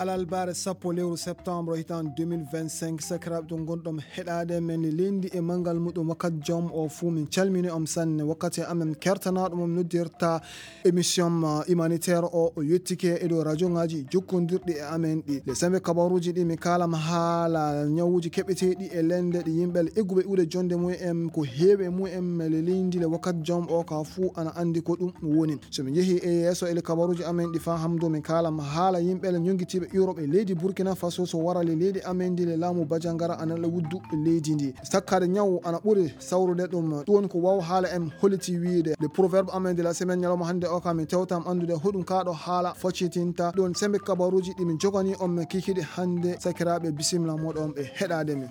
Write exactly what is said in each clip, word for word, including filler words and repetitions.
Alalbaare sappo lewru septembre hitaande deux mille vingt-cinq, sakiraaɓe to ngonɗon heɗaade men leydi e manngal muɗum wakkati jom o fuu, min calmini on sanne. Wakkati amen kertanaaɗo mo min noddirta émission, uh, humanitaire o, o yettike e dow radio ngaaji jokkondirɗi e amen ɗi. Le sembe kabaruuji ɗi mi kaalama haala ñawuuji keɓeteeɗi e lende ɗi yimɓe egguɓe iwde jonde mum en ko heewi e mum en le leydi le wakkati jom o ka fuu ana anndi ko ɗum woni. So min njehi e yeeso e le kabaruuji amen ɗi faa hamdo min kaalama haala yimɓe le ñonngitiiɓe Europe e leydi Burkina Faso so wara le leydi amen ndi le laamu Bajangara ana le wuddu leydi ndi. Sakkaade ñaw ana ɓuri sawrude ɗum. Ɗum woni ko waaw haala en holliti wiyde. Le proverbe amen de la semaine ñalawma hannde o kam min tewtam anndude hoɗum kaa ɗo haala foccitinta. Ɗum woni sembe kabaruuji ɗi min jogani on men kikiɗe hannde. Sakiraaɓe, bisimilla moɗon ɓe heɗaade min.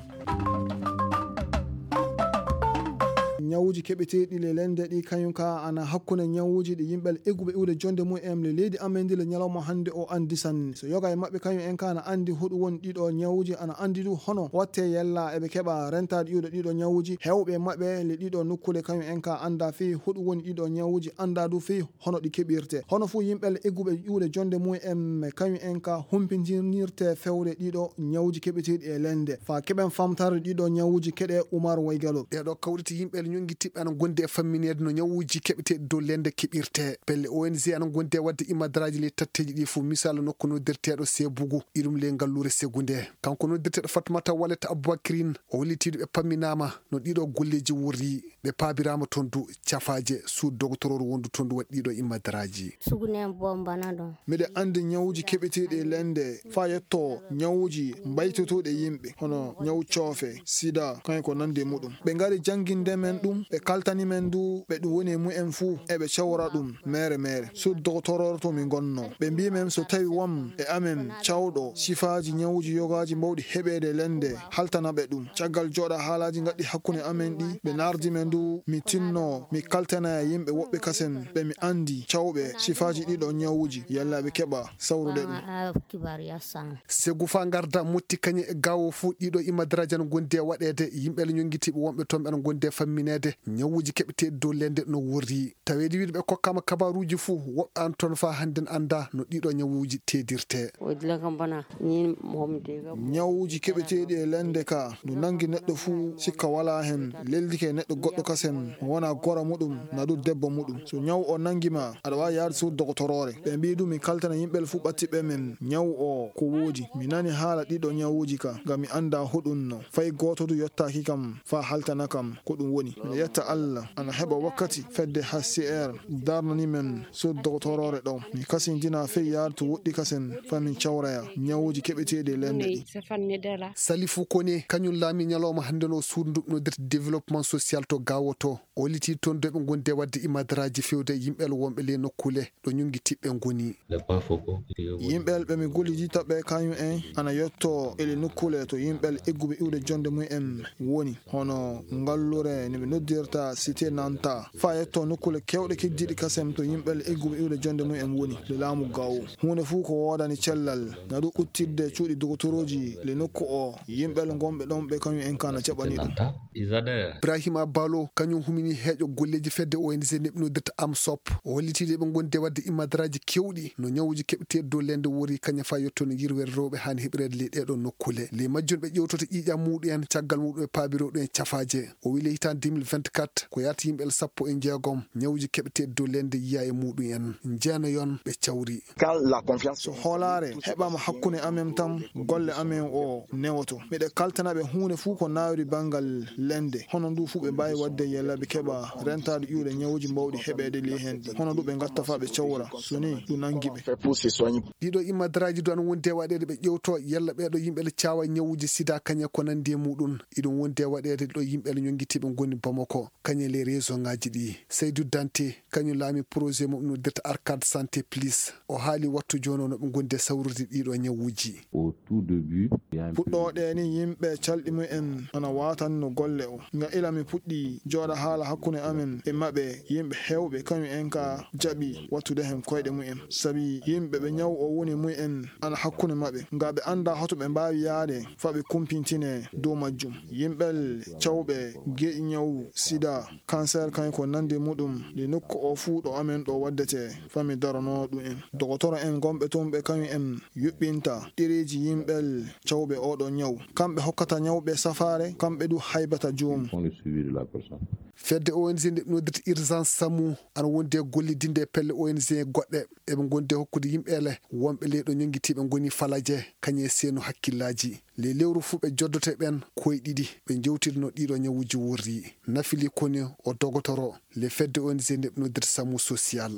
Ñawuuji keɓeteeɗi le lende ɗi kañum ka ana hakkunde ñawuuji ɗi yimɓe egguɓe iwde jonde mum en le leydi amen ndi le ñalawma hannde o anndi sanne. So yoga e maɓɓe kañum en ka ana anndi hoɗum woni ɗiɗo ñawuuji, ana anndi du hono watte yella eɓe keɓa rentaade iwde ɗiɗo ñawuuji. Heewɓe e maɓɓe le ɗiɗo nokkuule kañum en ka annda fii hoɗum woni ɗiɗo ñawuuji, annda du fii hono ɗi keɓirte. Hono fuu yimɓe egguɓe iwde jonde mum en kañum en ka humpinirte fewde ɗiɗo ñawuuji keɓeteeɗi e lende. Faa keɓen famtarde ɗiɗo ñawuuji keɗe Umar Waygalo. Ɗeeɗo kawriti yimɓe ñonngitiiɓe ana ngondi e fammineede no ñawuuji keɓeteeɗi dow lende keɓirte. Pelle O N G ana ngondi e waɗde imadaraaji ley tatteeji ɗi fof, misal nokku noddirteeɗo Sebugu, iɗum ley ngalluure Segu nde. Kanko noddirteeɗo Fatmata Wallet Aboubacrine, o holliti ɗo ɓe pamminaama no ɗiɗo golleeji worri, ɓe paabiraama toon du cafaaje, suudu dogotorooro wondu toon du waɗi ɗiɗo imadaraaji. Sugunen bombana ɗon. Miɗo anndi ñawuuji keɓeteeɗi e lende faa yetto ñawuuji mbaytotooɗi e yimɓe, hono ñawu coofe, sida, kañum ko nanndi e muɗum. Ɓe ngari jannginde men ɗum, ɓe kaltani men du ɓe ɗum woni e mumen fuu, eɓe cawra ɗum meere meere. Suudu dogotorooro to mi ngonnoo. Ɓe mbii men so tawi won e amen cawɗo sifaaji ñawuuji yogaaji mbawɗi heɓeede lende, haltana ɓe ɗum. Caggal jooɗa haalaaji ngaɗɗi hakkunde amen ɗi, ɓe naardi men du, mi tinnoo, mi kaltana e yimɓe woɓɓe kasen, ɓe mi anndi cawɓe sifaaji ɗiɗo ñawuuji, yalla ɓe keɓa sawrude ɗum. Segu faa ngarda motti kañe e gaawo fuu ɗiɗo imadaraaji ana ngondi e waɗeede, yimɓe ana ñonngitiiɓe wonɓe toon ɓe ana ngondi e fammineede, ñawuuji keɓeteeɗi dow lende no worri. Taweede wiide ɓe kokkaama kabaaruuji fuu, woɓɓe ana toon faa hannde anndaa no ɗiɗo ñawuuji teedirte. Ñawuuji keɓeteeɗi e lende ka, ndu nanngi neɗɗo fuu, sikka walaa heen, leldike e neɗɗo goɗɗo kasen, mo wonaa gora muɗum, naa du debbo muɗum. So ñaw o nanngi ma, aɗa waawi yahde suudu dogotoroore. Ɓe mbii du mi kaltana yimɓe fuu ɓattiɓe men ñaw o ko woodi. Mi nani haala ɗiɗo ñawuuji ka, ngam mi anndaa hoɗum no. Fay gooto du yottaaki kam faa haltana kam ko ɗum woni. Miɗo yetta Alla, ana heɓa wakkati fedde H C R darnani men suudu dogotoroore ɗo. Mi kasindina fey yahde to woɗɗi kasen faa min cawraya ñawuuji keɓeteeɗi e lende ɗi. Salifu Kone, kañum laami ñalawma hannde no suudu ndu noddirta développement social to Gaawo to. O hollitii toon du eɓe ngondi e waɗde imadaraaji fewde yimɓe wonɓe ley nokkuule ɗo ñonngitiiɓe ngoni. Yimɓe ɓe mi gollidii toɓɓe kañum en ana yotto e le nokkuule to yimɓe egguɓe iwde jonde mum en woni, hono ngalluure no ɓe noddirta Cité Nanta, faa yetto nokkuule keewɗe keddiiɗe kasen to yimɓe egguɓe iwde jonde mum en woni le laamu Gaawo. Huunde fuu ko woodani cellal, na ɗum ɓuttirde cuuɗi dogotorooji le nokku o, yimɓe ngonɓe ɗon ɓe kañum en ka na jaɓani ɗum. Ibrahima Balo, kañum humini heeƴo golleeji fedde O N G neɓnoodirta AMSOP. O hollitii ɗo eɓe ngondi e waɗde imadaraaji keewɗi no ñawuuji keɓeteeɗi dow lende wori kañum faa yetto no yirweede rewɓe haani heɓireede ley ɗee ɗoo nokkuule. Ley majjum ɓe ƴeewtoto ƴiiƴam muɗum en, caggal muɗum ɓe paabiroo ɗum en cafaaje. O wii ley hitaande deux mille vingt-quatre ko yahata yimɓe sappo e jeegom ñawuuji keɓeteeɗi dow lende yiyaa e muɗum en. Jeenayon ɓe cawri. So hoolaare heɓaama hakkunde amen tan, golle amen o newoto. Miɗo kaltana ɓe huunde fuu ko naawiri banngal lende. Hono ndu fuu ɓe mbaawi waɗde yalla ɓe keɓa rentaade iwde ñawuuji mbawɗi heɓeede ley heen ɗi. Hono ndu ɓe ngatta faa ɓe cawra. So nii ɗum nanngi ɓe. Ɗiɗo imadaraaji du ana wondi e waɗeede ɓe ƴeewto yalla ɓee ɗoo yimɓe le caawa ñawuuji sida kañe ko nanndi e muɗum. Iɗum wondi e waɗeede ɗo yimɓe le ñonngitiiɓe ngoni Bamako. mo ko kañum e les région ngaji ɗi. Seydou Dante, kañum laami projet mo noddirta Arcade Santé Plus. O haali wattu jooni o no ɓe ngondi e sawrude ɗiɗo ñawuuji. Puɗɗooɗe ni yimɓe calɗi mumen ana watanno golle o. Nga ila mi puɗɗi jooɗa haala hakkunde amen e maɓɓe, yimɓe heewɓe kañum en ka jaɓi wattude hen koyɗe mumen. Sabi yimɓe ɓe ñaw o woni mumen ana hakkunde maɓɓe. Nga ɓe annda hoto ɓe mbaawi yaade fa ɓe kumpintine dow majjum. Yimɓe cawɓe geɗi ñaw sida, cancer kañum ko nandi muɗum, ɗi nokku o fuu ɗo amen ɗo waddete, fa mi darono ɗum en. Dogotoro en gonɓe toon ɓe kañum en yuɓɓinta ɗereeji yimɓe cawɓe oɗo ñaw. Kamɓe hokkata ñawɓe safaare, kamɓe du haybata joomum. Fedde O N G nde noddirta Urgence Samu ana wondi e gollidinde e pelle O N G goɗɗe. Eɓe ngondi e hokkude yimɓe ele wonɓe leyɗo ñonngitiiɓe ngoni falaje, kañum e seenu hakkillaaji. Ley lewru fuu ɓe joddoto e ɓeen koye ɗiɗi, ɓe njewtidano ɗiɗo ñawuuji worri. Nafili koni o dogotoro le fedde O N G nde ɓe noddirta Samu Social.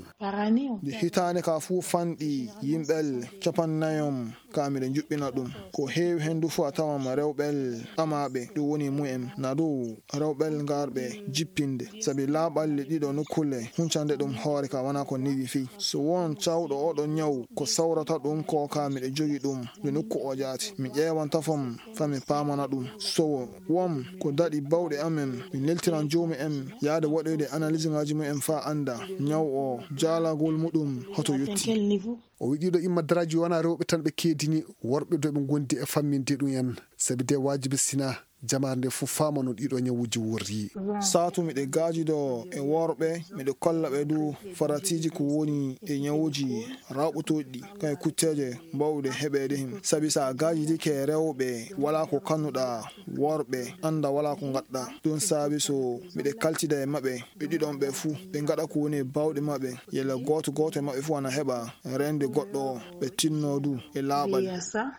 Nde hitaande ka fuu fanɗi yimɓe capannayom ka miɗo njuɓɓina ɗum. Ko heewi heen du fuu a tawan rewɓe amaaɓe ɗum woni mumen. Na du rewɓe ngarɓe jippinde. Sabi laaɓalli ɗiɗo nokkulle huncande ɗum hoore ka wana ko newi fii. So won cawɗo oɗo ñaw ko sawrata ɗum ko ka miɗo jogi ɗum. Nde nokku o jaati. Mi ƴeewan tafom fa mi paamana ɗum. So won ko daɗi bawɗe amen, mi neltiran joomi en yaade waɗoyde analyse ngaji mumen fa annda ñaw o jaalagol muɗum hoto yotti. O wiɗi ɗo imma daraaji wona rewɓe tan ɓe keedini, worɓe do ɓe ngondi e famminde ɗum en. Sabi de waajibi sina jamaare nde fof faamano ɗiɗo ñawuuji worri. Saatu miɗo gaajido e worɓe, miɗo kolla ɓe du faratiiji ko woni e ñawuuji rawɓotooɗi ɗi, kay kutteeje mbawɗe heɓeede heen. Sabi so a gaajidike rewɓe, walaa ko kannuɗaa worɓe, annda walaa ko ngaɗɗaa. Ɗum saabi so miɗo kaltida e maɓɓe, ɓe ɗiɗon ɓe fuu, ɓe ngaɗa ko woni e bawɗe maɓɓe, yalla gooto gooto e maɓɓe fuu ana heɓa reende goɗɗo o, ɓe tinno du e laaɓal.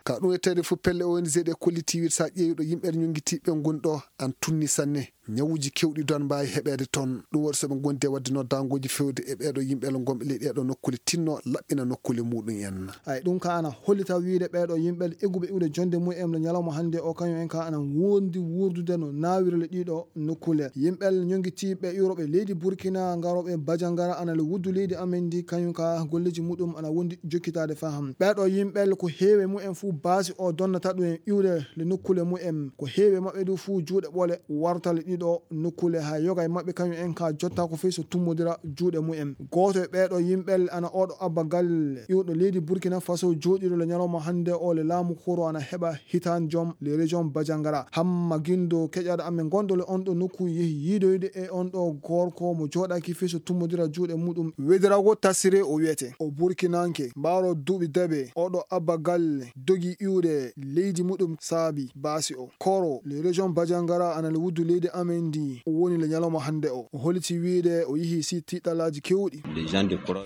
Ka ɗum e tawi fof pelle O N G ɗe kolliti wiide so a ƴeewi ɗo yimɓe ñonngitiiɓe ngoni ɗo, an tunni sanne. Ñawuuji keewɗi don mbaawi heɓeede toon. Ɗum waɗi so ɓe ngondi e waɗde noddaangooji feewde e ɓeeɗo yimɓe gonɓe ley ɗeeɗo nokkuule tinno laɓɓina nokkuule muɗum en. Ay, ɗum ka ana hollita wiide ɓeeɗo yimɓe egguɓe iwde jonde mumen le ñalawma hannde o, kañum en ka ana wondi wuurdude no naawirle ɗiɗo nokkuule. Yimɓe ñonngitiiɓe iwroɓe leydi Burkina, ngarooɓe Bajangara ana le wuddu leydi amen ndi, kañum ka golleeji muɗum ana wondi jokkitaade faham. Ɓeeɗo yimɓe ko heewe mumen fuu baasi o donnata ɗum en iwde le nokkuule mumen. Ko heewi e maɓɓe du fuu juuɗe ɓole warta le ɗiɗo nokkuule, haa yoga e maɓɓe kañum en ka jotta ko fii so tummodira juuɗe mumen. Gooto e ɓeeɗo yimɓe ana oɗo Abba Galle, iwɗo leydi Burkina Faso, jooɗiiɗo le ñalawma hannde o le laamu koro ana heɓa hitaan jom le région Bajangara. Hamma Gindo keƴaɗo amen gonɗo le on ɗo nokku yehi yiidoyde e on ɗo gorko mo jooɗaaki fii so tummodira juuɗe muɗum. Wedirago Tasire o wiyete. O Burkinanke, mbaaro duuɓi dabe, oɗo Abba Galle dogi iwde leydi muɗum saabi baasi o. Koro, le région Bajangara ana le wuddu leydi amen ndi, o woni le ñalawma hannde o. O holiti wiide o yihi si tiiɗalaaji keewɗi.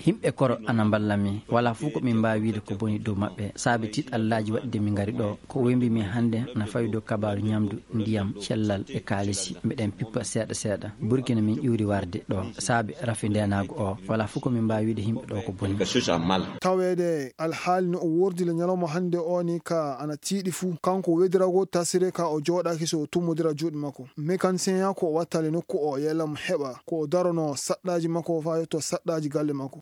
Himɓe koro ana mballa mi. Wala fof ko min mbaawi wiide ko boni dow maɓɓe. Saabi tiiɗalaaji waɗde min ngari ɗo. Ko wembi min hannde na fawi dow kabaaru ñamdu, ndiyam, cellal e kaalisi. Miɗen pippa seeɗa seeɗa. Burkina min iwri warde ɗo. Saabi rafi ndeenaagu o. Wala fof ko min mbaawi wiide himɓe ɗo ko boni. Taweede alhaali no o wordi le ñalawma hannde o ni ka ana tiiɗi fuu. Kanko Wedirago Tasire ka o jooɗaaki so o tummodira juuɗe makko. Mécanicien ya ko o wattale nokku o yelam heɓa ko o darono saɗɗaaji makko o faa yetto saɗɗaaji galle makko.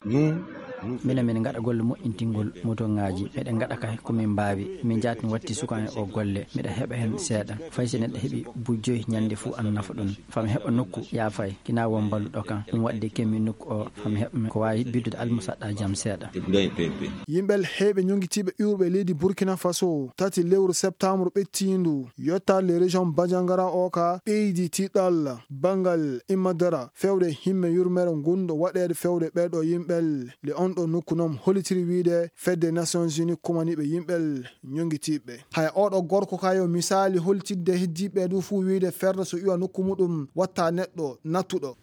Minen, min ngaɗa golle moƴƴintingol motoŋaaji. Miɗen ngaɗa kay ko min mbaawi. Min njaati mi watti suka en o golle. Miɗa heɓa heen seeɗa. Fay so neɗɗo heɓi buy joyi ñannde fuu ana nafa ɗum. Fami heɓa nokku yaafay. Kina won mballuɗo kam. Ɗum waɗde kemmi nokku o. Fami heɓa ko waawi biddude almusaɗɗaaji am seeɗa. Yimɓe heewɓe ñoŋngitiiɓe iwruɓe leydi Burkina Faso, tati lewru septembre ɓettiindu, yottaade le région Bandiagara o ka ɓeydi tiiɗal banngal immadara fewde himme yurmere ngunɗo waɗeede fewde ɓeeɗo yimɓe le on ɗo nokku noon hollitiri wiyde fedde Nations Unies kumaniiɓe yimɓe ñoŋngitiiɓe. Hay oɗo gorko ka yo misaali holtidde heddiiɓe du fuu wiyde ferde so iwa nokku muɗum watta neɗɗo nattuɗo.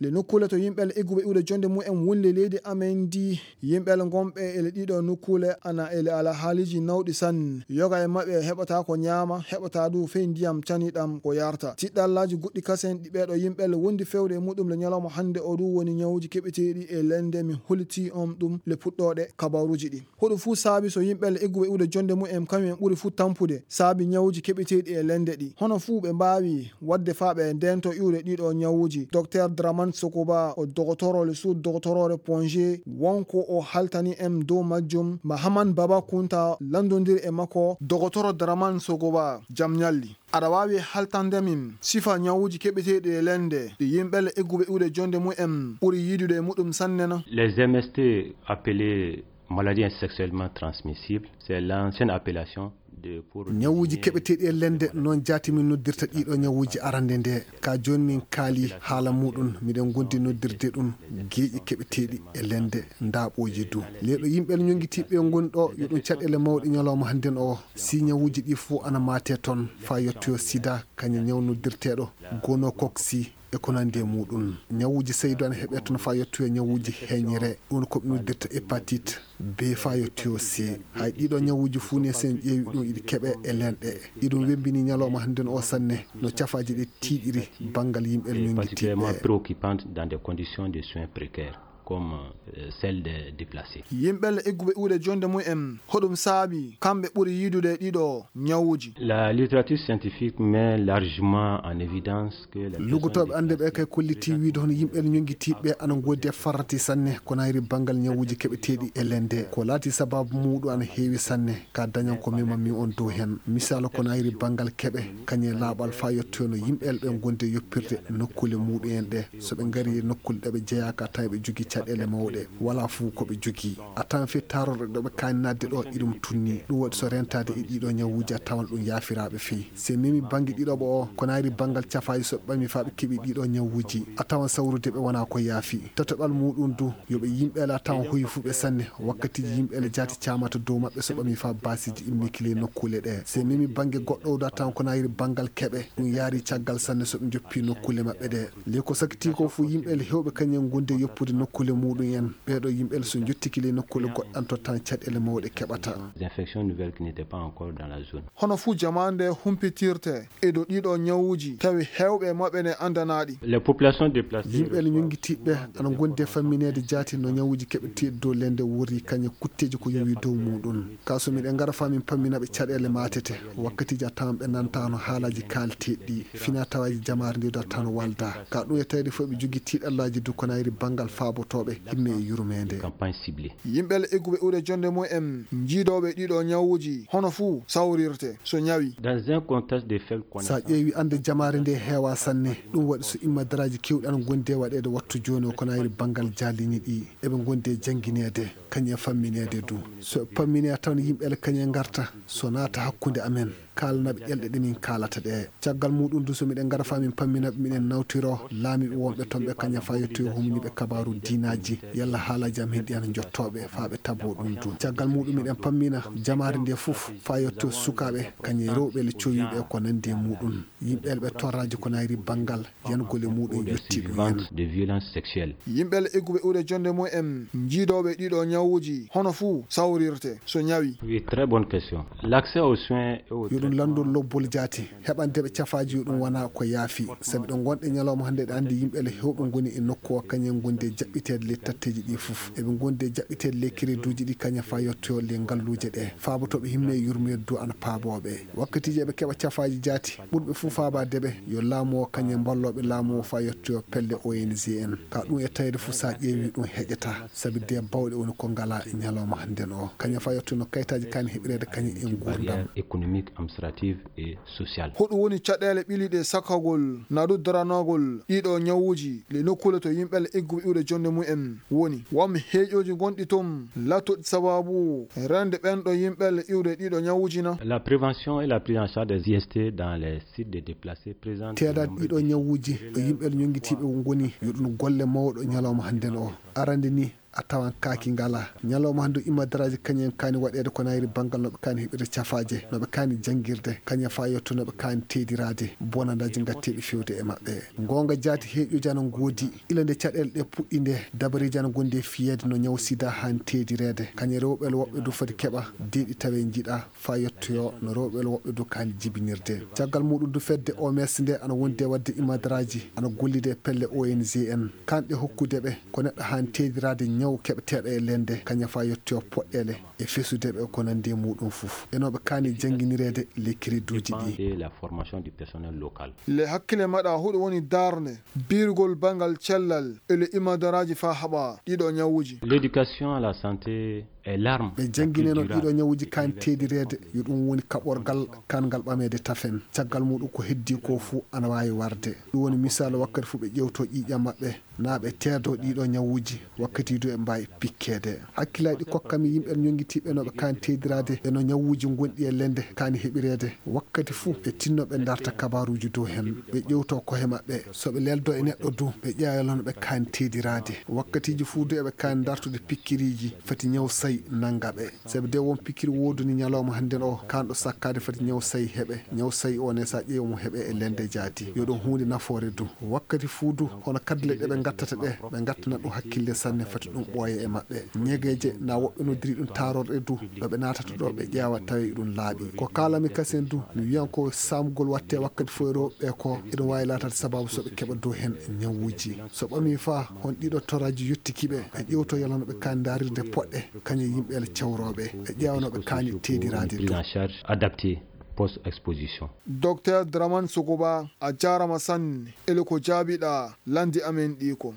Le nokkuule to yimɓe egguɓe iwde jonde mumen wonde leydi amen ndi, yimɓe gonɓe ele ɗiɗo nokkuule ana ele ala haaliji nawɗi sanne. Yoga e maɓɓe heɓata ko ñaama, heɓata du fey ndiyam caniɗam ko yarta. Tiɗɗallaaji goɗɗi kasen ɗi ɓeeɗo yimɓe wondi fewde e muɗum le ñalawma hannde o ɗum woni ñawuji keɓeteeɗi e lende. Mi holiti on ɗum le puɗɗooɗe kabaruji ɗi. Hoɗum fuu saabi so yimɓe egguɓe iwde jonde mumen kañum en ɓuri fuu tampude saabi ñawuji keɓeteeɗi e lende ɗi. Hono fuu ɓe mbaawi waɗde faa ɓe ndento iwde ɗiɗo ñawuji. Docteur Draman Sokoba o dogotoro le sous dogotoroore Ponge wonko o haltani en dow majjum. Mahaman Baba Kunta lanndondiri e makko. Dogotoro Draman Sokoba, jam ñalli. Aɗa waawi haltande min sifa ñawuji keɓeteeɗi e lende ɗi yimɓe egguɓe iwde jonde mumen ɓuri yiidude e muɗum sanne na? Les M S T appelés maladies sexuellement transmissibles, c'est l'ancienne appellation de pour ñawuji keɓeteeɗi e lende, noon jaati min noddirta ɗiɗo ñawuji arande nde. Ka jooni min kaali haala muɗum, miɗen gondi noddirde ɗum geeƴi keɓeteeɗi e lende, ndaaɓooji du. Leeɗo yimɓe ñongitiiɓe ngoni ɗo, yo ɗum caɗeele mawɗe ñalawma hannden o. Si ñawuji ɗi fof ana maate toon, faa yettoyo sida, kañum ñaw noddirteeɗo gonokoksi e ko nandi e muɗum. Ñawuji seydu ana heɓe toon faa yettoyo ñawuji heñire, ɗum ko ɓe noddirta hépatite B faa yettoyo C. Hay ɗiɗo ñawuji fuu ne, sen ƴeewi ɗum, iɗi keɓe e lenɗe. Iɗum wembini ñalawma hannden o sanne, no cafaaji ɗi tiiɗiri banngal yimɓe ñongitiiɓe. Particulièrement préoccupante dans des conditions de soins précaires, comme, euh, celle des déplacés. Yimɓe egguɓe iwde jonde mumen, hoɗum saabi kamɓe ɓuri yiidude ɗiɗo ñawuji? La littérature scientifique met largement en évidence que les personnes Lugotooɓe annde ɓe déplacées kay kolliti wiide hono yimɓe ñongitiiɓe ana ngoodi e farrati sanne ko nayri banngal ñawuji keɓeteeɗi e lende. Ko laati sababu muuɗum ana heewi sanne, ka dañan ko memammi on dow hen. Misaal ko nayri banngal keɓe, kañe laaɓal faa yettoyono yimɓe ɓe ngondi e yoppirde nokkuule muuɗum en ɗe. So ɓe ngari e nokkuule ɗe ɓe jeyaa ka tawi ɓe jogii caɗeele mawɗe, walaa fuu ko ɓe jogii. A tawan fii taarorɗe ɗo ɓe kaani naatde ɗo iɗum tunni. Ɗum waɗi so rentaade e ɗiɗo ñawuji a tawan ɗum yaafiraaɓe fii. Se memi bannge ɗiɗoɓo o, ko nayri banngal cafaaji so ɓe ɓami faa ɓe keɓi ɗiɗo ñawuji, a tawan sawrude ɓe wonaa ko yaafi. Tataɓal muuɗum du, yo ɓe yimɓe la tawan hoyi fuu ɓe sanne, wakkatiiji yimɓe le jaati caamata dow maɓɓe so ɓami faa baasiiji immiki ley nokkuule ɗe. Se memi bannge goɗɗo o du a tawan ko nayri banngal keɓe, ɗum yaari caggal sanne so ɓe njoppi nokkuule maɓɓe ɗe. Ley ko sakiti ko fuu yimɓe le heewɓe kañum ngondi e yoppude nokkuule muuɗum en. Ɓeeɗo yimɓe le so njottiki ley nokkuule goɗɗan tottan caɗeele mawɗe keɓata. Des infections nouvelles qui n'étaient pas encore dans la zone. Hono fuu jamaande humpitirte e dow ɗiɗo ñawuji, tawi heewɓe maɓɓe ne anndanaaɗi. Les populations déplacées Yimɓe le ñongitiiɓe ana ngondi e fammineede jaati no ñawuji keɓeteeɗi dow lende wori kañe kutteeji ko yowi dow muuɗum. Ka so miɗen ngara faa min pammina ɓe caɗeele maatete, wakkatiiji a tawan ɓe nantaano haalaaji kaalteeɗi ɗi, fina tawaaji jamaare nde du a tawan walda. Ka ɗum e tawde fof ɓe jogii tiiɗallaaji du ko nayri banngal faabotooɓe himme e yurmeende. Campagne ciblée. Yimɓe le egguɓe iwde jonde mumen, jiidooɓe ɗiɗo ñawuji, hono fuu sawrirte so ñawi. Dans un contexte de faible Sa connaissance ƴeewi annde jamaare nde heewa sanne, ɗum waɗi so immadaraaji keewɗi ana ngondi e waɗeede wattu jooni o ko nayri banngal jaalini ɗi, eɓe ngondi e janngineede, kañum e fammineede du. So ɓe pammini a tawan yimɓe le kañum e ngarta, so naata hakkunde amen, kaalana ɓe ƴelɗe ɗe min kaalata ɗe. Caggal muuɗum du so miɗen ngara faa min pammina ɓe, miɗen nawtiro laamiiɓe wonɓe toon ɓe kañum faa yettoyo humniiɓe kabaaru diinaaji, yalla haalaaji amen ɗi ana njottoo ɓe faa ɓe taboo ɗum du. Caggal muuɗum miɗen pammina jamaare nde fof faa yettoyo sukaaɓe, kañum e rewɓe le cowiiɓe ko nandi e muuɗum. Yimɓe le ɓe torraaji ko nayri banngal yangol e muuɗum yotti ɗum en. Survivants de violence sexuelle. Yimɓe le egguɓe iwde jonde mumen, jiidooɓe ɗiɗo ñawuji, hono fuu sawrirte so ñawi. Oui, très bonne question. L'accès aux soins et aux Yo ɗum traitements lanndol lobbol jaati, heɓande ɓe cafaaji yo ɗum wona ko yaafi. Sabi ɗo ngonɗe ñalawma hannde ɗe anndi yimɓe le heewɓe ngoni e nokku o kañum ngondi e jaɓɓiteede ley tatteeji ɗi fof. Eɓe ngondi e jaɓɓiteede ley crédit uji ɗi kañum faa yettoyo ley ngalluuje ɗe. Faabotooɓe himme e yurmeede du ana paaboo ɓe. Wakkatiiji eɓe keɓa cafaaji jaati, ɓurɓe fof faabaade ɓe yo laamu o kañum e mballooɓe laamu o faa yettoyo pelle O N G en. Ka ɗum e tawde fof so a ƴeewi ɗum heƴataa, sabi de bawɗe woni ko ngalaa e ñalawma hannden o. Kañum faa yettoyo no kayitaaji kaani heɓireede kañum e nguurndam. Barrières économiques, administratives et sociales. Hoɗum woni caɗeele ɓiliiɗe sakkagol naa du daranagol ɗiɗo ñawuuji le nokkuule to yimɓe le egguɓe iwde jonde mumen woni? Won heeƴooji gonɗi toon laatooɗi sababu reende ɓeen ɗo yimɓe le iwde ɗiɗo ñawuuji na? La prévention et la prise en charge des I S T dans les sites de déplacés présente de Teedaade nombreux ɗiɗo défis. Ñawuuji ɗo yimɓe le ñonngitiiɓe ngoni yo ɗum golle mawɗo ñalawma hannden o. Arande ni, a tawan kaaki ngalaa. Ñalawma hannde o, imadaraaji kañum en kaani waɗeede ko nayri banngal no ɓe kaani heɓirde cafaaje, no ɓe kaani janngirde, kañum faa yetto no ɓe kaani teediraade, bonandaaji ngatteeɗi fewde e maɓɓe. Goonga jaati heeƴuuji ana ngoodi, ila nde caɗeele ɗe puɗɗi nde, dabareeji ana ngondi e fiyeede no ñaw sida haani teedireede. Kañum rewɓe woɓɓe du foti keɓa deeɗi tawe njiɗa faa yettoyoo no rewɓe woɓɓe du kaani jibinirde. Caggal muuɗum du fedde O M S nde ana wondi e waɗde imadaraaji, ana gollida e pelle O N G en. Kanɗe hokkude ɓe ko neɗɗo haani teediraade ñaw keɓeteeɗo e lende, kañum faa yettoyoo poɗɗeele e fesude ɓe ko nanndi e muuɗum fof. E no ɓe kaani jannginireede le crédit uji ɗi. De la formation du personnel local. Le hakkille maɗa huɗo woni darnde, birgol bangal cellal e le imadaraaji faa haɓa ɗiɗo ñawuuji. L'éducation à la santé est l'arme. Ɓe janngineno ɗiɗo ñawuuji kaani teedireede, yo ɗum woni kaɓorgal kaan ngal ɓameede tafen. Caggal muuɗum ko heddii ko fuu ana waawi warde. Ɗum woni misaalu wakkati fuu ɓe ƴeewto ƴiiƴam maɓɓe, naa ɓe teedo ɗiɗo ñawuuji, wakkati du e mbaawi pikkeede. Hakkillaaji ɗi kokkami yimɓe ñonngitiiɓe no ɓe kaani teediraade e no ñawuuji ngonɗi e lende kaani heɓireede. Wakkati fuu ɓe tinno ɓe ndarta kabaaruuji dow heen, ɓe ƴeewto kohe maɓɓe. So ɓe leldo e neɗɗo du, ɓe ƴeewa no ɓe kaani teediraade. Wakkatiiji fuu du eɓe kaani ndartude pikkiriiji, fati ñaw sayi nannga ɓe. Sabi de won pikkiri wooduni ñalawma hannden o, kaanɗo sakkaade fati ñaw sayi heɓe. Ñaw sayi o ne, so a ƴeewi mo heɓe e lende jaati. Yo ɗum huunde nafoore du. Wakkati fuu du, hono kaddule ɗe ɓe ngattata ɗe, ɓe ngattana ɗum hakkille sanne, fati ɗum ɓooya e maɓɓe. Ñegeeje, na woɓɓe noddiri ɗum taarorɗe du, ɗo ɓe naatata ɗo, ɓe ƴeewa tawi ɗum laaɓi. Ko kaalami kasen du, mi wiyan ko saamugol watte wakkati fof e rewɓe ko, eɗum waawi laataade sababu so ɓe keɓa dow heen ñawuuji. So ɓamii faa, hon ɗiɗo toraaji yottiki ɓe, ɓe ƴeewto yalano ɓe kaani ndaarirde poɗɗe, kañe yimɓe ele cawrooɓe, ɓe ƴeewa no ɓe kaani teediraade Prise du. En charge adaptée post-exposition. Docteur Draman Sogoba, a jaarama sanne, ele ko jaabiɗaa landi amen ɗi ko.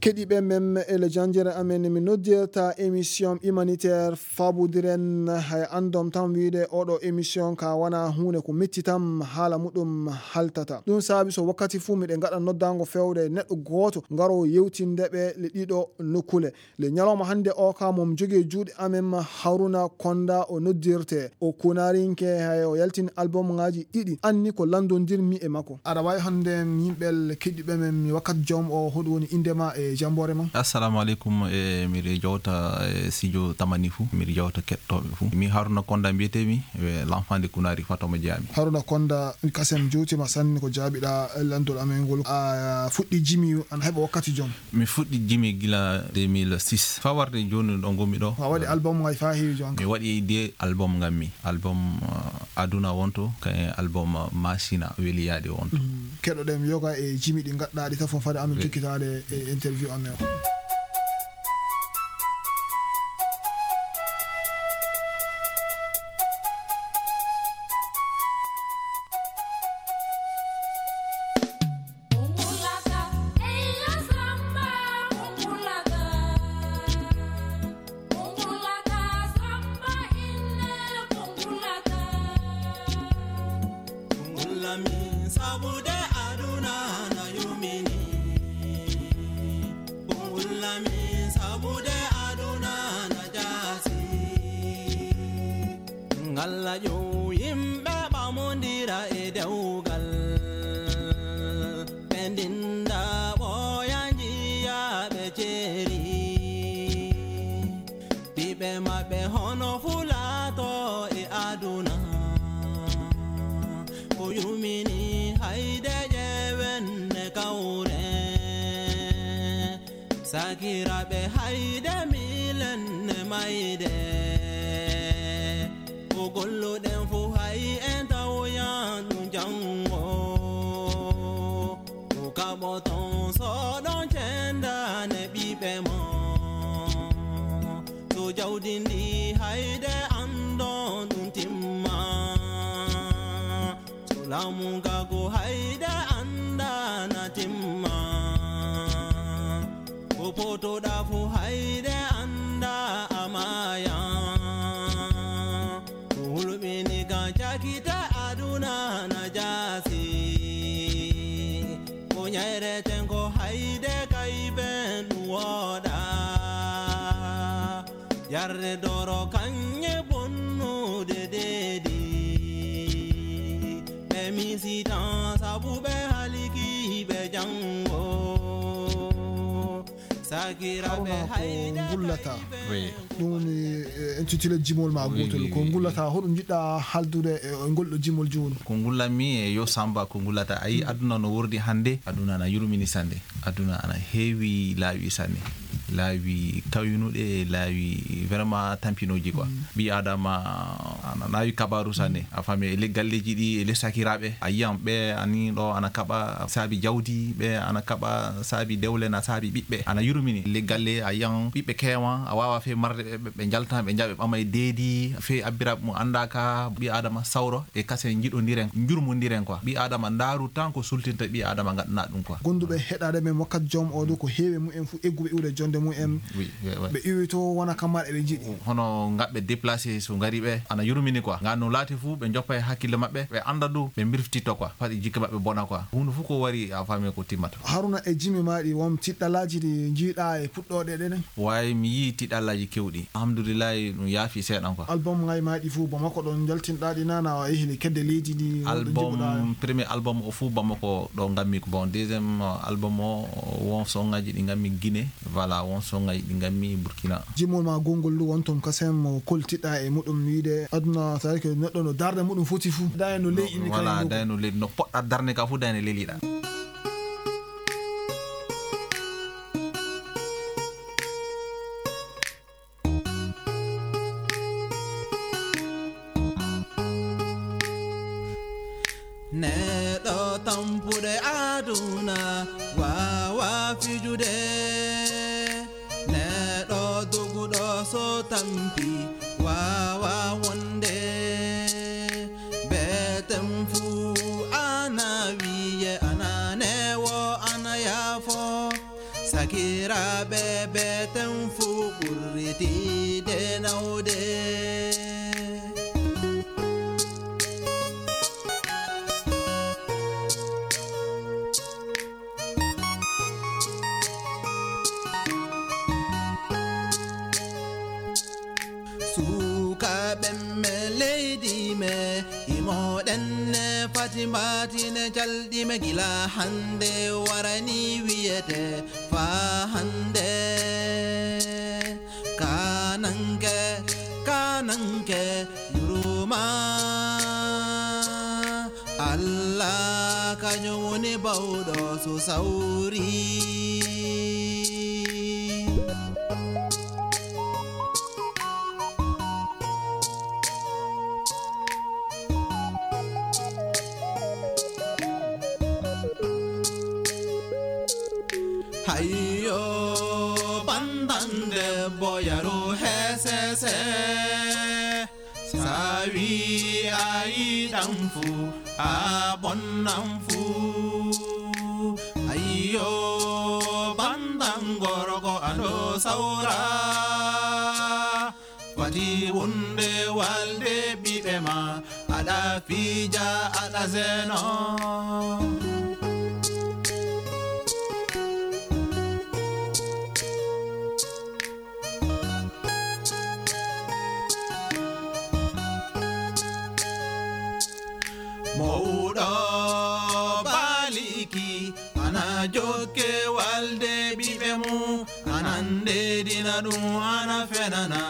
Keɗiiɓe men, ele janjere amen, mi noddirta émission humanitaire fabudiren. Hay andom tan wiide oɗo émission ka wana huunde ko mettitam, haala muɗum haltata. Ɗum saabi so wakkati fuu miɗe ngaɗa noddango fewde neɗɗo gooto ngaro yewtinde ɓe le ɗiɗo nokkule. Le ñalawma hannde o ka mom jogi e juuɗe amen Haruna Konda o noddirte. O kunarinke hay o yaltin album ngaji ɗiɗi. Anni ko landondirmi e makko. Aɗa waawi hannde yimɓe keɗiiɓe men mi wakkati joom o, hoɗum woni innde ma e jamboore ma? Assalamu alaikum, e miɗo jowta e studio Tamani fuu, miɗo jowta keɗotooɓe fuu. Mi Haruna Konda mbiyetee mi, e l'enfant de Kunari Fatoma Jami. Haruna Konda, kasen jowtima sanne ko jaabiɗaa landol amen ngol. A fuɗɗi jimi ana heɓa wakkati joom? Mi fuɗɗi jimi gila deux mille six. Faa warde jooni ɗo ngonmi ɗo. A waɗi album ngaji faa heewi jooni? Mi waɗi deux album ngammi. Album, uh, Aduna wonto, kayen album, uh, Masina Weliyaade wonto. Mm. Keɗoɗen yoga e jimi ɗi ngaɗɗaa ɗi tafon fade amin jokkitaade e interview amen o. Kungulami sabude aduna na yumini. Kungulami sabude aduna na jasi. Ngalla ƴeew yimɓe ɓamondira e dewgal. Ɓe ndinda ɓooya njiya ɓe ceeri. Ɓiɓɓe maɓɓe hono fulaato e aduna. Ko yumini hayde ƴeewen ne kawre. Sakiraaɓe hayde miilen ne mayde. Ko golluɗen fuu hay en tawoyan ɗum janngo. Ko kaɓoton so ɗon cendane ɓiɓɓe mon. So jawdi ndi hayde andon ɗum timma. So laamu nga go hayde andana timma. Ko potoɗa fuu hayde anda amaya. Ko hulɓini ka cakita aduna na jaasi. Ko ñayreten ko hayde kayben ɗum wooɗa. Yarde doro kañe bonnude deedi. Ɓe misitan sabu ɓe haliki ɓe janngo. Haruna, ko ngullata? Ɗum woni, eh, intitulé jimol ma gotol. Ko ngullata, hoɗum njiɗɗa haldude e ngol ɗo jimol jooni? Ko ngullanmi e yo Samba, ko ngullata. A yi, aduna no wordi hannde, aduna ana yurmini sanne. Aduna ana heewi laawi sanne. Laawi kawnuɗe, laawi vraiment tampinooji quoi. Ɓii Aadama ana naawi kabaaru sanne. A faami, e le-, galleeji ɗi, e les sakiraaɓe, a yiyan ɓe ani ɗo ana kaɓa saabi jawdi, ɓe ana kaɓa saabi dewle, na saabi ɓiɓɓe. Ana yurmini. Le galle, a yiyan ɓiɓɓe keewan, a waawa fee marde ɓe, ɓe, ɓe njaltan, ɓe njaɓe ɓama e deedi, fee abbiraaɓe mum anndaaka, ɓii Aadama sawro, e kasen njiɗondiren, njurmondiren quoi. Ɓii Aadama ndaaru tan ko sultinta ɓii Aadama ngaɗana ɗum quoi. Gonduɓe heɗaade men wakkat joom oo ɗoo ko heewi mum en fof egguɓe iwde jonde mum en. Oui, oui, oui. Ɓe iwi to wona kamar eɓe njiɗi. Hono ngaɓɓe déplacé so ngari ɓe, ana yurmini quoi. Ngan no laati fof ɓe njoppa e hakkille maɓɓe, ɓe annda ɗum, ɓe mbirftito quoi. Faɗi jikke maɓɓe bona quoi. Huunde fof ko wari a faami ko timmata. Haruna, e jimi ma ɗi won tiɗɗalaaji ɗi njiiɗa e puɗɗooɗe ɗen? Way, mi yii tiɗɗalaaji kewɗi. Alhamdulillahi, ɗum yaafi seeɗan quoi. Album ngay ma ɗi fof, Bamako ɗon njaltinɗa ɗi nana, a yehi le kedde leydi ndi, won ɗo njiɗɗa? Album, premier album o fof Bamako ɗo ngammi. Bon, deuxième album o, won songaji ɗi ngammi Guinée. Voilà, won songaji ɗi ngammi Burkina. Jimol ma gongol ndu won toon kasem mo koltiɗa e muɗum wiide aduna, c'est-à-dire que neɗɗo no darde muɗum foti fof. Dayno leydi ndi. Voilà, kay ndu. Dayno leydi, no poɗɗa darnde ka fof, dayno leliɗa. Neɗɗo tampuɗo aduna waawa fijude. Neɗɗo doguɗo so tampi waawa wonde. Beten fuu ana wiye ana newo ana yaafo. Sakiraaɓe, beten fuu ɓurritiide nawde. Sukaaɓe me leydi me, imoɗen ne fati mbaatine calɗi me gila hannde warani wiyete faa hannde. Kananke, kananke, yuruma. Allah kañum woni bawɗo so sawri. Hayyo, bandan debbo, yaru hesese. Sa wi a yiɗan fu, a bonnan fu. Ayyo, bandan gorko, a ɗo sawra. Fati wonde walde ɓiɓɓe ma, aɗa fija, aɗa zeno. Mawɗo baliki ana jokke walde ɓiɓɓe mum, ana ndeedina ɗum, ana fenana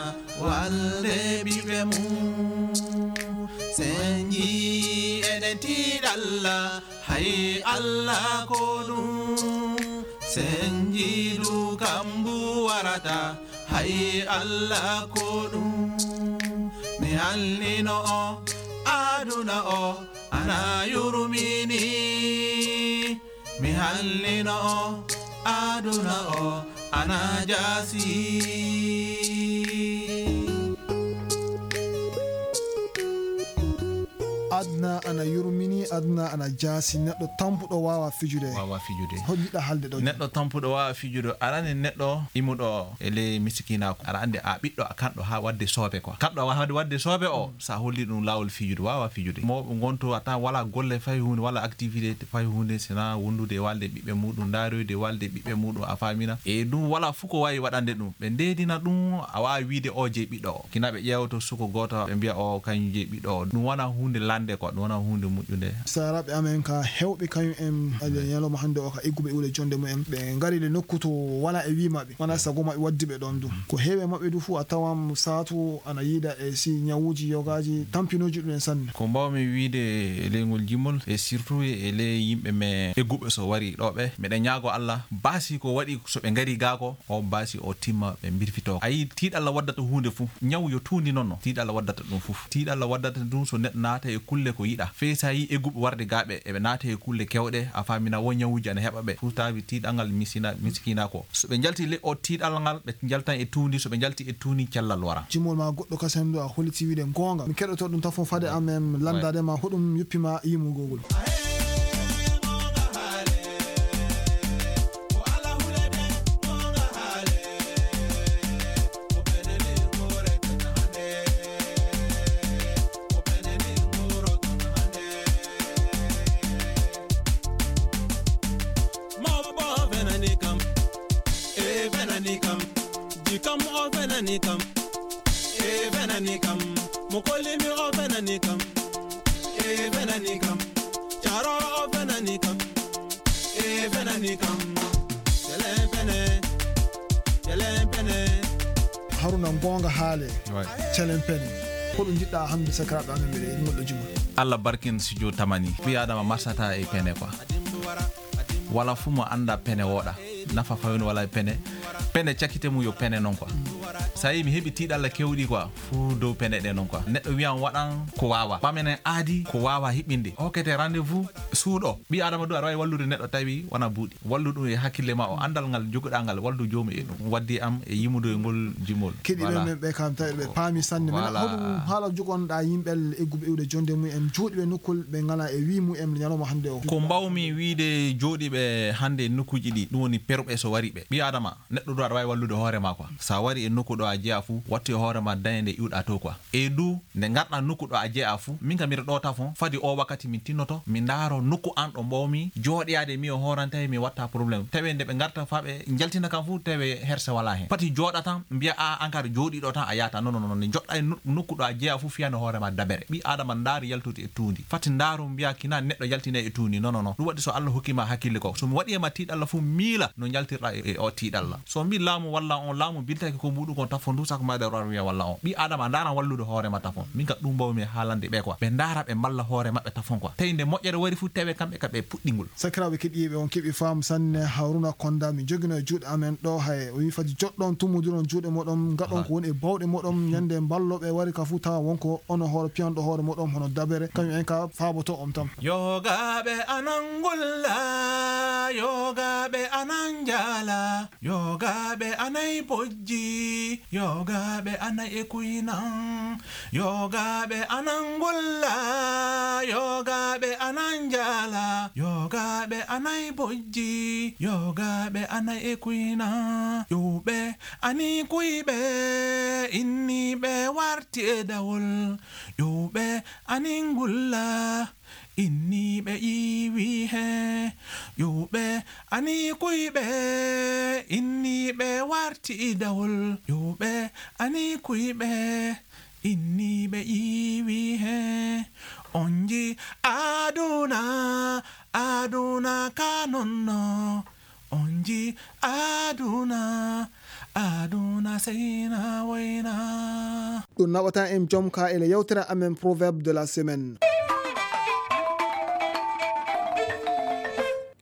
walde ɓiɓɓe mum. Senji eɗen tiiɗalla, hay Allah ko ɗum. Senji du kambu warata, hay Allah ko ɗum. Mi halnino o, aduna o, ana yurmini. Mi hallino o, aduna o, ana jaasi. Aduna ana yurmini, aduna ana jaasi. Neɗɗo tampuɗo waawa fijude. Waawa fijude. Hol jiɗɗa haalde ɗo? Neɗɗo tampuɗo waawa fijude. Arani neɗɗo imuɗo e ley misikinaaku. Aɗa anndi a ɓiɗɗo a kanɗo haa waɗde soobe quoi. Kanɗo a waɗde, waɗde soobe o, sa holli ɗum laawol fijude, waawa fijude. Mawɓe ngonto a tan wala golle fay huunde, wala activité fay huunde, sina wondude e walde ɓiɓɓe muɗum, ndaaroyde walde ɓiɓɓe muɗum, a faamina. E ɗum wala fuu ko waawi waɗande ɗum. Ɓe ndeedina ɗum, a waawi wiide o jeyi ɓiɗɗo o. Kina ɓe ƴeewto suko gooto, ɓe mbiya o kañum jeyi ɓiɗɗo o. Ɗum wona huunde lande. Nde ko ɗum wonaa huunde moƴƴunde. Saaraaɓe amen ka heewɓe kañum en, ale ñalawma hannde o ka egguɓe iwde jonde mumen. Ɓe ngari le nokku to wala e wii maɓɓe. Wonaa sago maɓɓe waddi ɓe ɗon ɗum. Ko heewɓe maɓɓe du fof a tawan saatu ana yiida e si ñawuuji yogaaji tampinooji ɗum en sanne. Ko mbaawmi wiide e leyngol jimol e surtout e ley yimɓe men egguɓe so wari ɗo ɓe. Meɗen ñaago Allah baasi ko waɗi so ɓe ngari gaa ko, o baasi o timma ɓe mbirfitoo. A yii tiiɗalla waddata huunde fof. Ñaw yo tuundi noon no. Tiiɗalla waddata ɗum fof. Tiiɗalla waddata ɗum so neɗɗo naata e kulle ko yiɗa. Fey so a yii egguɓe warde gaa ɓe, eɓe naata e kulle kewɗe, a faamina wo ñawuuji ana heɓa ɓe. Fof taawi tiiɗangal misina-, miskiina ko. So ɓe njalti le o tiiɗalla ngal, ɓe njaltan e tuundi. So ɓe njalti e tuundi, cellal wara. Jimol ma goɗɗo kasen ɗo a holliti wiide goonga. Mi keɗoto ɗum tafo fade am em lanndade ma hoɗum yoppi ma yimugol. Mawɓe o fenani kam, e fenani kam, jikam o fenani kam, e fenani kam, mo kollimi o fenani kam, e fenani kam, caro o fenani kam, e fenani kam, celen pene, celen pene. Haruna, goonga haale, Ouais. celen pene. Hoɗum njiɗɗa hannde sakiraaɓe amen ɓe ngol ɗo juma? Allah barkin studio tamani. Ɓii Adama marsata e pene quoi. Wala fuu mo annda pene wooɗa. Nafa fawino wala e pene. Pene cakite mum yo pene noon quoi. So a yii mi heɓi tiiɗalla kewɗi quoi. Fuu dow pene ɗe noon quoi. Neɗɗo wiyan waɗan ko waawa. Ɓamen en aadi ko waawa hiɓɓinde. Hokkete rendez-vous suuɗo. Ɓii Adama du aɗa waawi wallude neɗɗo tawi wona buuɗi. Wallu ɗum e hakkille ma o, anndal ngal joguɗaa ngal, wallu joomum e ɗum. Waddi am e yimude ngol jimol. Keɗiiɓe Voilà. men ɓe kam tawi ɓe paami sanne. Minen Voilà. hoɗum haala jogonɗaa yimɓe egguɓe iwde jonde mum en, jooɗiiɓe nokkol ɓe ngalaa e wii mum en ñalawma hannde o? Ko mbawmi wiide jooɗiiɓe hannde e nokkuuji ɗi, ɗum woni perɓe so wari ɓe. Ɓii Adama, neɗɗo ɗo aɗa waawi wallude hoore ma quoi. So a wari e nokku ɗo a jeyaa fuu, wattu e hoore ma dañde iwɗaa to quoi. E du, nde ngarɗaa nokku ɗo a jeyaa fuu, min kam miɗo ɗo tafon, fadi o wakkati min tinnoto, mi ndaaro nokku an ɗo mbawmi jooɗoyaade mi o hooranta e mi watta problème. Tawi nde ɓe ngarta faa ɓe njaltina kam fuu, tawi herse walaa heen. Pati jooɗa tan, mbiya a an kadi jooɗiiɗo tan a yaata. Non, non, non, nde njoɗɗaa e no-, nokku ɗo a jeyaa fuu, fiyano hoore ma dabere. Ɓii Adama ndaari yaltude e tuundi. Fati ndaaru mbiya kina neɗɗo yaltine e tuundi. Non, non, non. Ɗum waɗi so Allah hokki ma hakkille ko. So mi waɗi e ma tiiɗalla fuu miila no njaltirɗaa e, e o tiiɗalla. So mbi laamu walla on laamu biltaki ko muɗum kon tafon du sako ma ɗe ror wiya walla on. Ɓii Adama ndaara wallude hoore ma tafon. Min ka ɗum mbawmi haalande ɓe quoi. Ɓe ndaara ɓe mballa hoore maɓɓe tafon quoi. Tawi nde moƴƴere wari fuu tawe kamɓe ka ɓe puɗɗingol. Sakiraaɓe keɗiiɓe on keɓi faamu sanne Haruna Konda mi jogino e juuɗe amen ɗo hay o wi fadi joɗɗon tummudiron juuɗe moɗon ngaɗon ko woni e bawɗe moɗon ñande mballo ɓe wari ka fuu tawa wonko ono hoore piyanɗo hoore moɗon hono dabere kañum en ka faaboto on tan. Yogaaɓe anan ngulla, yogaaɓe anan njaala, yogaaɓe anay bojji, yogaaɓe anay e kuynan, yogaaɓe anan ngulla, yogaaɓe anan njaala, yogaaɓe anay bojji, yogaaɓe anay e kuynan, ƴuwɓe ani kuyɓe, inniiɓe warti e dawol, ƴuwɓe ani ngulla, inniiɓe ƴiiwi he, ƴuwɓe ani kuyɓe, inniiɓe warti e dawol, ƴuwɓe ani kuyɓe, inniiɓe ƴiiwi he. On nji aduna, aduna ka nonno. On nji aduna, aduna seyna woyna. Ɗum naɓata en jom ka ele yewtere amen Proverbe de la semaine.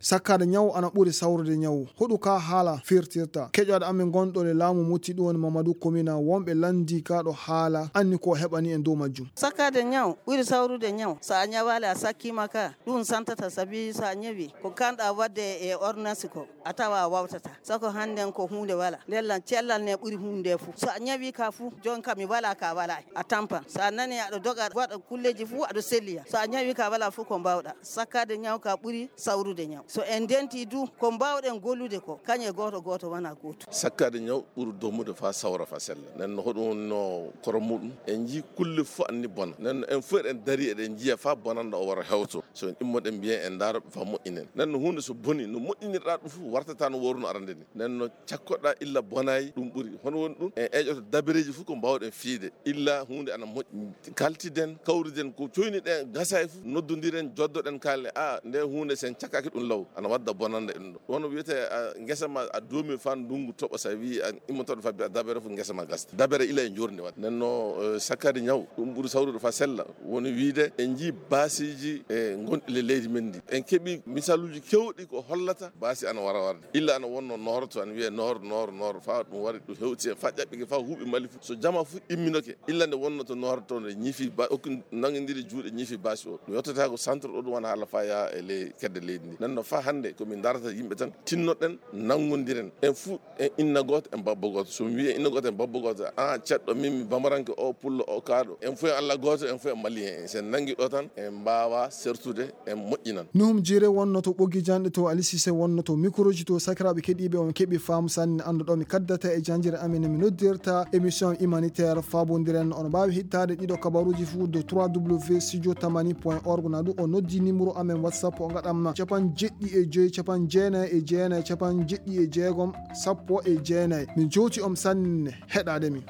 Sakkaade ñaw ana ɓuri sawrude ñaw. Hoɗu ka haala firtirta? Keƴoɗo amen gonɗo le laamu mutti ɗum woni Mamadou Komina wonɓe lanndi ka ɗo haala anni ko heɓani en dow majjum. Sakkaade ñaw ɓuri sawrude ñaw. So a ñawaali a sakkiima ka, ɗum santata sabi so a ñawi ko kanɗa waɗde e ordonnance ko a tawa a wawtata. Sako hannden ko huunde wala. Ndella cellal ne ɓuri huunde fof. So a ñawi ka fof, jon ka mi wala ka wala. A tampan. So a nani aɗa doga waɗa kulleji fof aɗa selliya. So a ñawi ka wala fof ko mbawɗa. Sakkaade ñaw ka ɓuri sawrude ñaw. So en ndenti du, ko mbaawɗen gollude ko, kañe gooto gooto wona gooto. Sakkaade ñaw ɓuri domude faa sawra faa sella. Nden no hoɗum woni no koro muɗum? En njii kulle fof anni bona. Nden no en fof eɗen dari eɗen njiya faa bonannda o wara hewto. So en immoɗen mbiyen en ndaara ɗum faa moƴƴinen. Nden no huunde so boni, no moƴƴinirɗaa ɗum fof wartata no wooruno arande ni. Nden no cakkoɗaa illa bonayi ɗum ɓuri. Hono woni ɗum? En eƴoto dabereeji fof ko mbaawɗen fiyde. Illa huunde ana moƴƴi. Kaltiden, kawriden ko coyniɗen gasa e fof, noddondiren, joddoɗen kaalen, a, nde huunde sen cakkaki ɗum law, ana wadda bonannda e ɗum ɗo. Wano wiyete, a, ngesa ma a doomi faa ndungu toɓa, sa wi a immotoɗo faa mbiya dabere fof ngesa ma gasta. Dabere ila e njorndi waɗa. Nden no, eh, sakkade ñaw, ɗum ɓuri sawrude faa sella. Woni wiide, en njii baasiiji e gonɗi le leydi men ndi. En keɓi misaluuji kewɗi ko hollata baasi ana wara warde. Illa ana wonno nooroto, ana wiyee noor, noor, noor, faa ɗum wari, ɗum hewti e faa ƴaɓɓike, faa huuɓi Mali fof. So jama fof imminoke, illa nde wonno to nooroto nde ñifi ba-, okki nangindiri juuɗe ñifi baasi o. Ɗum yottata ko centre o, ɗum wona haala faa yaa e ley kedde leydi ndi. Nden no faa hannde ko min darata yimɓe tan, tinnoɗen, nanngondiren. En fof en inna gooto, en babbo gooto. So mi wii en inna gooto, en babbo gooto, an ceɗɗo, min mi bamaranke, o pullo, o kaaɗo. En fof en Allah gooto, en fof en Malien en. So en nanngi ɗo tan, en mbaawa sertude, en moƴƴinan. Nuhum Jiire wonno to ɓoggi janɗe to, Ali Sise wonno to microji to. Sakiraaɓe keɗiiɓe, on keɓi faamu sanne annduɗo mi kaddata e janjere amen no mi noddirta émission humanitaire faabondiren. On mbaawi hittaade ɗiɗo kabaruuji fof to trois W studio tamani point org. Na du o noddi numéro amen WhatsApp o ngaɗam capanɗe jeɗɗi e joy, capanɗe jeenayi e jeenayi, capanɗe jeɗɗi e jeegom, sappo e jeenayi. Mi jowti on sanne heɗaade mi.